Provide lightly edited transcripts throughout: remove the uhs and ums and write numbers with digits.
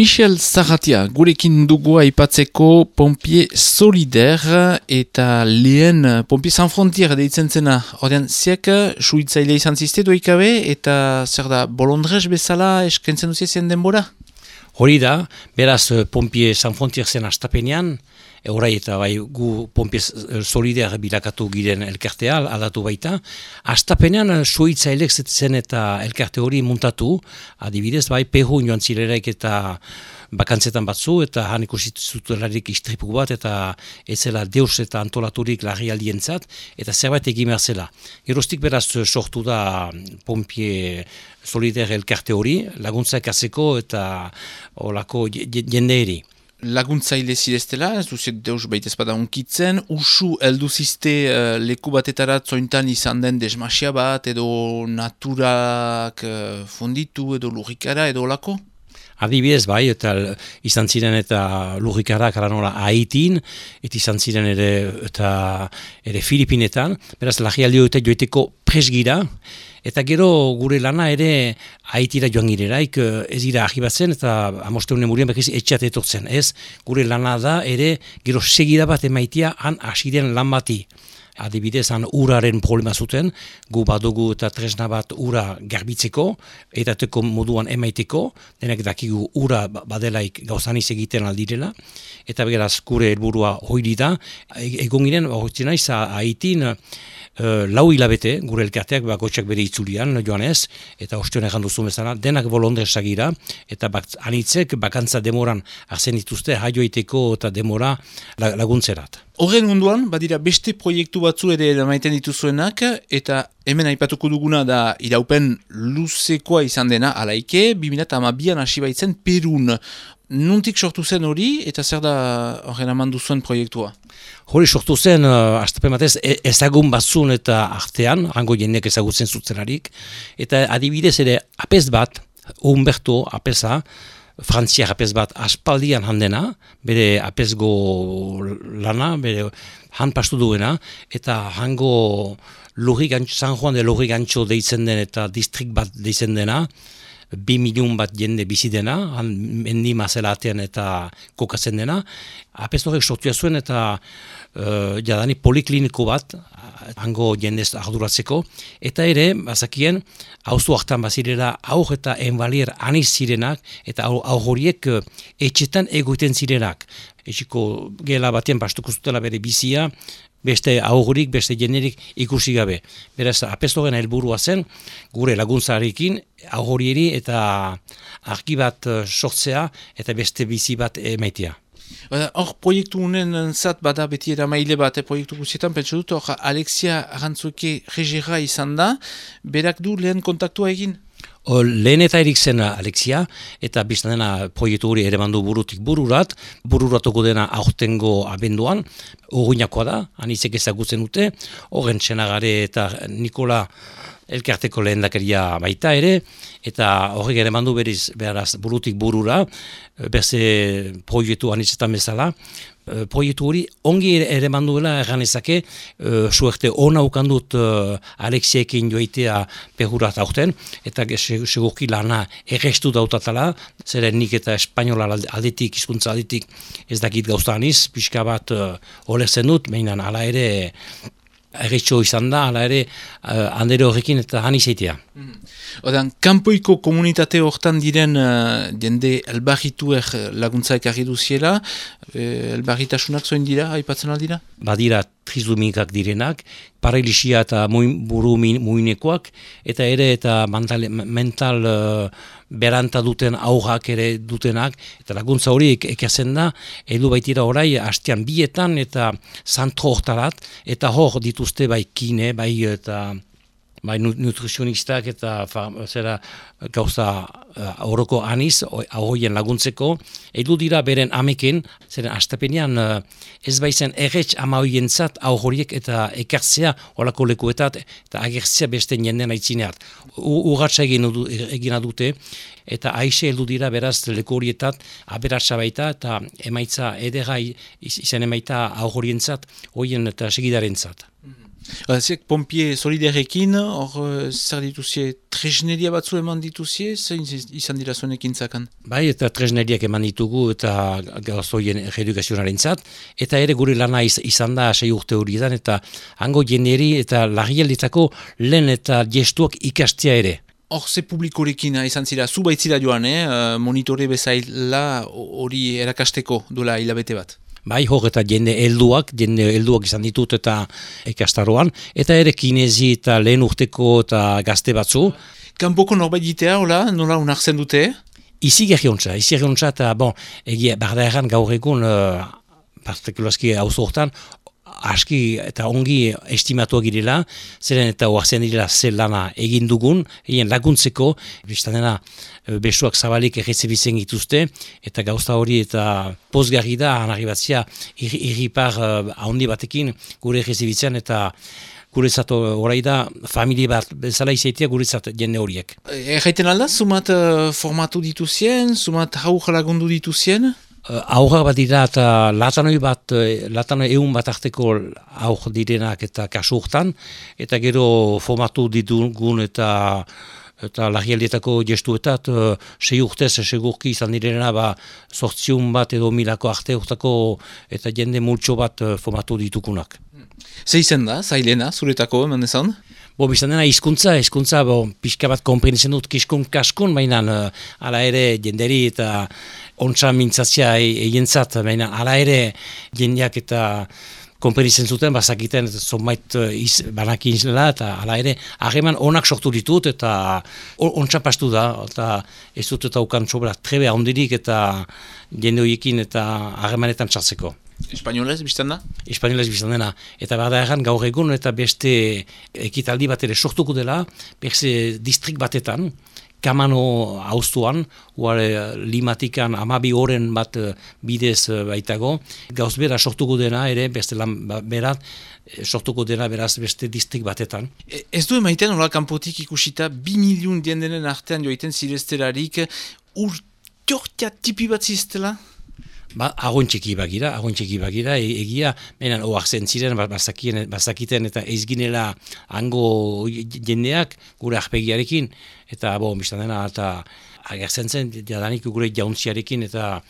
Michel Zaratia, gurekin dugu aipatzeko Pompier Solidaire eta lehen Pompier Sans Frontières deitzen zena. Ordean, ziak suhiltzaile izan ziste doikabe eta zer da, bolondrez bezala eskentzen duzien denbora? Hori da, beraz Pompier Sans Frontières zen astapenean, orai eta bai gu Pompier Solidaire bilakatu giren elkartea, aldatu baita. Astapenean suhiltzailek zen eta elkarte hori muntatu, adibidez bai Peru joan zirelaik eta bakantzetan batzu, eta han ikusituzutelarik istripu bat, eta ez zela deus eta antolaturik larrialdientzat, eta zerbait egin behar zela. Geroztik beraz sortu da Pompier Solidaire elkarte hori, laguntzak azeko eta olako jendeeri. Laguntzaile zireztela, ez duzet deus baitez bada unkitzen, usu elduzizte leku batetara zointan izan den desmasia bat, edo naturak funditu, edo lurrikara, edo olako? Adibidez bai, eta izan ziren eta lurrikarak nola Haitin, eta izan ziren ere Filipinetan, beraz larrialdi eta joiteko presgira, eta gero gure lana ere Haitira joan gireraik ez dira ahibatzen eta amosteune murien bekiz etxeat etortzen. Ez, gure lana da ere gero segida bat emaitia han asiren lan bati. Adibidez, han uraren problema zuten, gu badugu eta tresna bat ura garbitzeko, edateko moduan emaiteko, denek dakigu ura badelaik gauzaniz egiten aldirela, eta beraz gure helburua hori da, egon giren, horretzen naiz, Haitin, lau hilabete, gure elkarteak bakotxak bere itzulian, joan ez, eta ostion egan duzu bezala, denak bolondresak gira, eta anitzek bakantza demoran arzen dituzte, jaioiteko eta demora laguntzerat. Horren munduan, badira beste proiektu batzu ere maiten dituzuenak, eta hemen aipatuko duguna da iraupen luzekoa izan dena, alaike, 2012an hasi baitzen Perun. Nuntik sortu zen hori, eta zer da horren amandu zuen proiektua? Hori sortu zen, astapen batez, ezagun batzun eta artean, hango jendeak ezagutzen zutzelarik, eta adibidez ere apez bat, Humberto apeza, frantziak apez bat aspaldian handena, bere apezgo lana, bere han pastu duena, eta hango San Juan de Lurrigantxo deitzen den eta distrik bat deitzen dena, 2 milion bat jende bizi dena, mendi mazelatean eta kokatzen dena. Apez horrek sortua zuen eta jadani polikliniko bat, hango jendez arduratzeko, eta ere, bazakien, auzo hartan bazirela aur eta enbalier aniz zirenak, eta aur horiek etxetan egoiten zirenak. Etxiko gela batean pastuko zutela bere bizia, beste aurrik, beste jenerik ikusi gabe. Beraz, apestoren helburua zen, gure laguntzarekin aurrieri eta argi bat sortzea eta beste bizi bat emaitea. Hor proiektu unen zat bada beti eramaile bat, proiektu guzietan, pentsu dut, hor Alexia Arantzuke regera izan da, berak du lehen kontaktua egin? Lehen eta erik zen Alexia, eta biztan dena proiektu hori ere mandu burutik bururatuko dena aurtengo abenduan, urruinakoa da, anitzek ezagutzen dute, horren Txenagare eta Nikola elkarteko lehendakaria baita ere, eta horrek ere mandu beraz burutik burura, berze proiektu anitzetan bezala, proiektu hori ongi ere manduela erganezake, suerte ona ukandut Alexiekin joitea Perurat aurten, eta segurki lana errestu dautatala, zeren nik eta espainola aldetik, hizkuntza aldetik ez dakit gauza aniz, pixka bat olertzen dut, behinan ala ere erretxo izan da, ala ere handere horrekin eta han izaitea. Odan, kanpoiko komunitate hortan diren jende elbarrituer laguntza ekarri duziela, elbarritasunak zoin dira, aipatzen aldira? Badira trizumikak direnak, paralisia eta buru muinekoak, eta ere eta mental beranta duten aurrak ere dutenak, eta laguntza hori ekerzen da, edu baitira orai hastean bietan eta zantro hortarat, eta hor dituzte bai kine, bai eta nutrizionistak eta gauza horoko aniz, ahoien laguntzeko, edu dira beren ameken, zeren astapenean ez baizen erretx ama hoientzat horiek eta ekartzea horako lekuetat, eta agertzea beste jenden aitzineat. Urratxa egina dute, eta aixe heldu dira beraz leku horietat aberatsa baita, eta emaitza edera izan emaita horientzat, horien eta segidarentzat. Ziek, Pompie solidarekin, hor zer dituzie, tresneria batzu eman dituzie, zein izan dira zuen ekintzakan? Bai, eta tresneriak eman ditugu eta gauzoien reedukazionaren zat, eta ere gure lana izan da 6 urte horietan, eta hango jenderi eta larrialdetako lehen eta gestuak ikastia ere. Hor ze publikorekin izan zira, zu baitzira joan, monitore bezaila hori erakasteko duela hilabete bat? Bai, hor eta jende helduak izan ditut eta ikastaroan, eta ere kinezi eta lehen urteko eta gazte batzu. Kanpoko norbait ditea, nola unartzen dute? Izi gerriontza, eta egia, barda erran gaur egun, partikulazki hauzo hortan, aski eta ongi estimatuak girela, zeren eta oazen direla zer lana egin dugun, egin laguntzeko, biztan dena besoak zabalik errezebitzen gituzte, eta gauza hori eta pozgarri da, anarri batzia, irripar handi batekin gure errezebitzen, eta guretzat horai da, familie bat bezala izaitia guretzat jende horiek. Erraiten alda, zumat formatu dituzien, zumat haur lagundu dituzien? Aurrak bat dira eta latanoi egun bat arteko aur direnak eta kasu hortan, eta gero formatu ditugun eta larrialdietako gestuetat 6 urtez segurki izan direna 800 bat edo 1000 arte urtako eta jende multxo bat formatu ditukunak. Ze izen da, zailena, zuretako, eman ezan? Biztan dena hizkuntza pixka bat konprenitzen dut kaskun, baina ala ere jenderi eta ontsa mintzazia egientzat, baina ala ere jendeak eta konprenitzen zuten, bazakiten zonbait banakin izela, eta ala ere hageman onak sortu ditut, eta ontsa pastu da, eta ez dut eta ukan sobra trebe handirik eta jende horiekin eta hagemanetan txartzeko. Espainolez biztan da? Espainolez biztan dena. Eta bada erran gaur egun eta beste ekitaldi bat ere sortuko dela, beste distrik batetan, Kamano hauztuan, limatikan 12 oren bat bidez baitago, gauz bera sortuko dena ere, beste lan berat, sortuko dena beraz beste distrik batetan. Ez du emaiten, hola kanpotik ikusita, 2 milion diendenen artean joiten ziresterarik, urtiortia tipi bat ziztela? Agon txeki bagira, egia, menan oaxen ziren, bazakiten eta eizginela hango jendeak gure arpegiarekin, eta biztan dena, eta agertzen zen, jadanik gure jauntziarekin, eta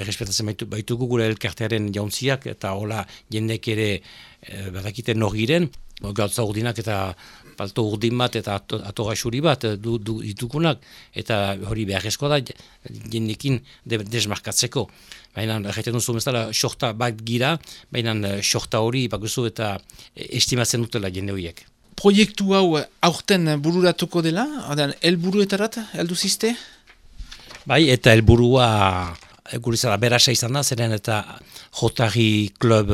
errespetatzen baitugu gure elkartearen jauntziak, eta hola jendek ere badakiten nor giren, gautza urdinak eta palto urdin bat eta atogaxuri bat ditukunak, eta hori beharrezkoa da jendekin desmarkatzeko. Baina, erraiten duzu bezala, sorta bat gira, baina sorta hori bakuzu eta estimatzen dutela jende horiek. Proiektu hau aurten bururatuko dela? Helburuetarat heldu ziste? Bai, eta helburua gurizara berasa izan da, zeren eta Jotari Klub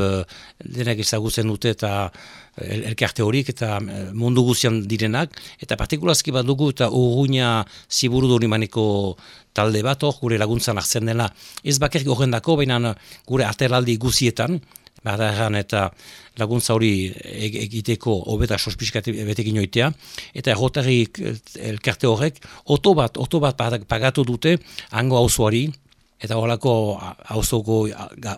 denak ezagutzen dute eta elkarte horik eta mundu guztian direnak, eta partikulazki bat dugu eta Urruña ziburu durimaneko talde bat hor, gure laguntzan hartzen dela. Ez bakarrik horrendako, baina gure ateraldi guzietan, badaran eta laguntza hori egiteko hobeta sospizkat betekin oitea, eta Jotari elkarte horrek oto bat pagatu dute hango auzoari, eta horako auzoko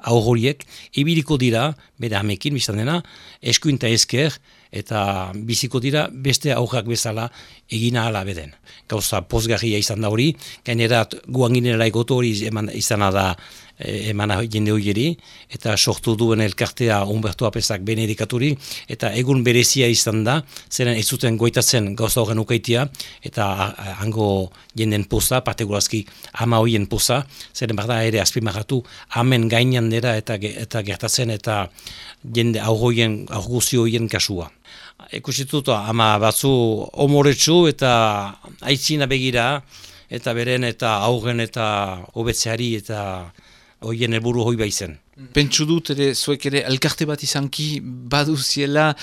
aurroriek ibiliko dira, bere amekin biztan dena, eskuin eta esker, eta biziko dira beste aurrak bezala egina ala beden. Gauza pozgarria izan da hori, gainerat guan ginela egoto hori izan da emana jende horieri, eta sortu duen elkartea Humberto Apesak benedikaturi, eta egun berezia izan da, zeren ez zuten goitatzen gauza horren ukaitia, eta hango jenden poza, partikulazki ama horien poza, zeren barda ere azpimarratu, amen gainan dira eta gertatzen, eta jende aurguzio horien kasua. Ikusitut ama batzu omoretsu eta aitzina begira, eta beren eta aurren eta hobetzeari eta hoien helburu hoi baizen. Pentsu dut ere, zuek ere, elkarte bat izanki baduziela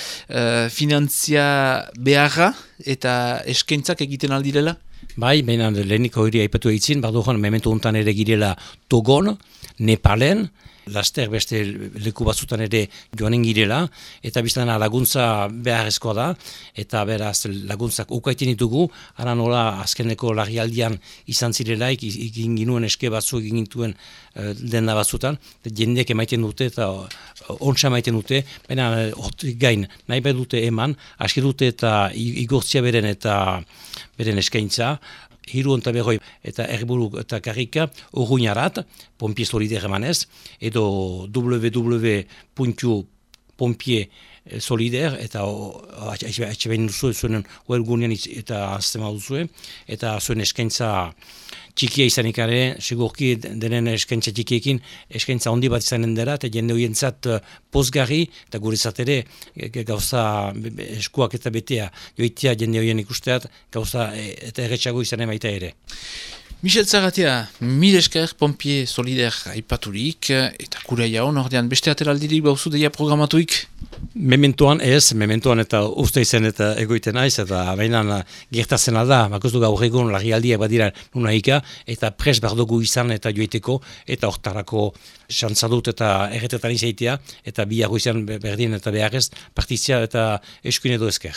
finantzia beharra eta eskaintzak egiten aldirela? Bai, behinan lehenik hori aipatu eitzin, baduan mementu hontan ere girela Togon, Nepalen, laster beste leku batzutan ere joanen girela, eta biztana laguntza beharrezkoa da, eta beraz laguntzak ukaiten ditugu, ara nola azkeneko larrialdian izan zirelaik, egin ginuen eske batzu egin gintuen denda batzutan, jendeek emaiten dute eta ontsa emaiten dute, baina hortik gain nahi behar dute eman, aski dute eta igortzia beren eskaintza, 350 eta erburu eta karrika urruinarat, Pompier Solidaire emanez, edo www.pompier-solidaire eta atxebein duzu zuen webgunean eta aztema duzue, eta zuen eskaintza txikia izanik ere, segurki denen eskaintza txikiekin, eskaintza handi bat izanen dela, eta jende horientzat pozgarri, eta guretzat ere gauza eskuak eta betea joitea jende horien ikusteat, gauza eta erretxago izanen baita ere. Michel Zaratea, mil esker Pompier Solidaire aipaturik, eta kura jaun ordean beste ateraldirik bauzu deia programatuik? Mementoan eta uste izen eta egoiten naiz, eta baina gertatzen alda, bakoz du gaur egun larrialdiak badira nunaika, eta pres bardogu izan eta joiteko, eta hortarako xantzadut eta erretetan izaitea, eta biago izan berdin eta beharrez partizia eta eskuin edo esker.